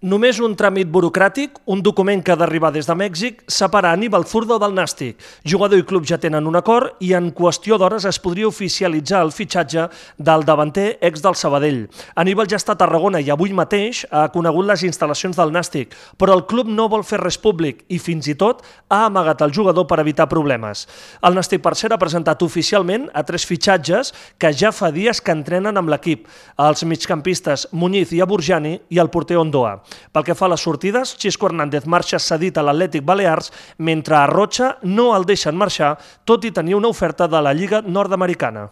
Només un tràmit burocràtic, un document que ha d'arribar des de Mèxic, separa Aníbal Zurdo del Nàstic. Jugador i club ja tenen un acord i en qüestió d'hores es podria oficialitzar el fitxatge del davanter ex del Sabadell. Aníbal ja està a Tarragona i avui mateix ha conegut les instal·lacions del Nàstic, però el club no vol fer res públic i fins i tot ha amagat el jugador per evitar problemes. El Nàstic, per cert, ha presentat oficialment a 3 fitxatges que ja fa dies que entrenen amb l'equip, els migcampistes Muñiz i Aburjani i el porter Ondoa. Pel que fa a les sortides, Xisco Hernández marxa cedit a l'Atlètic Balears, mentre a Rocha no el deixen marxar, tot i tenir una oferta de la Lliga Nord-americana.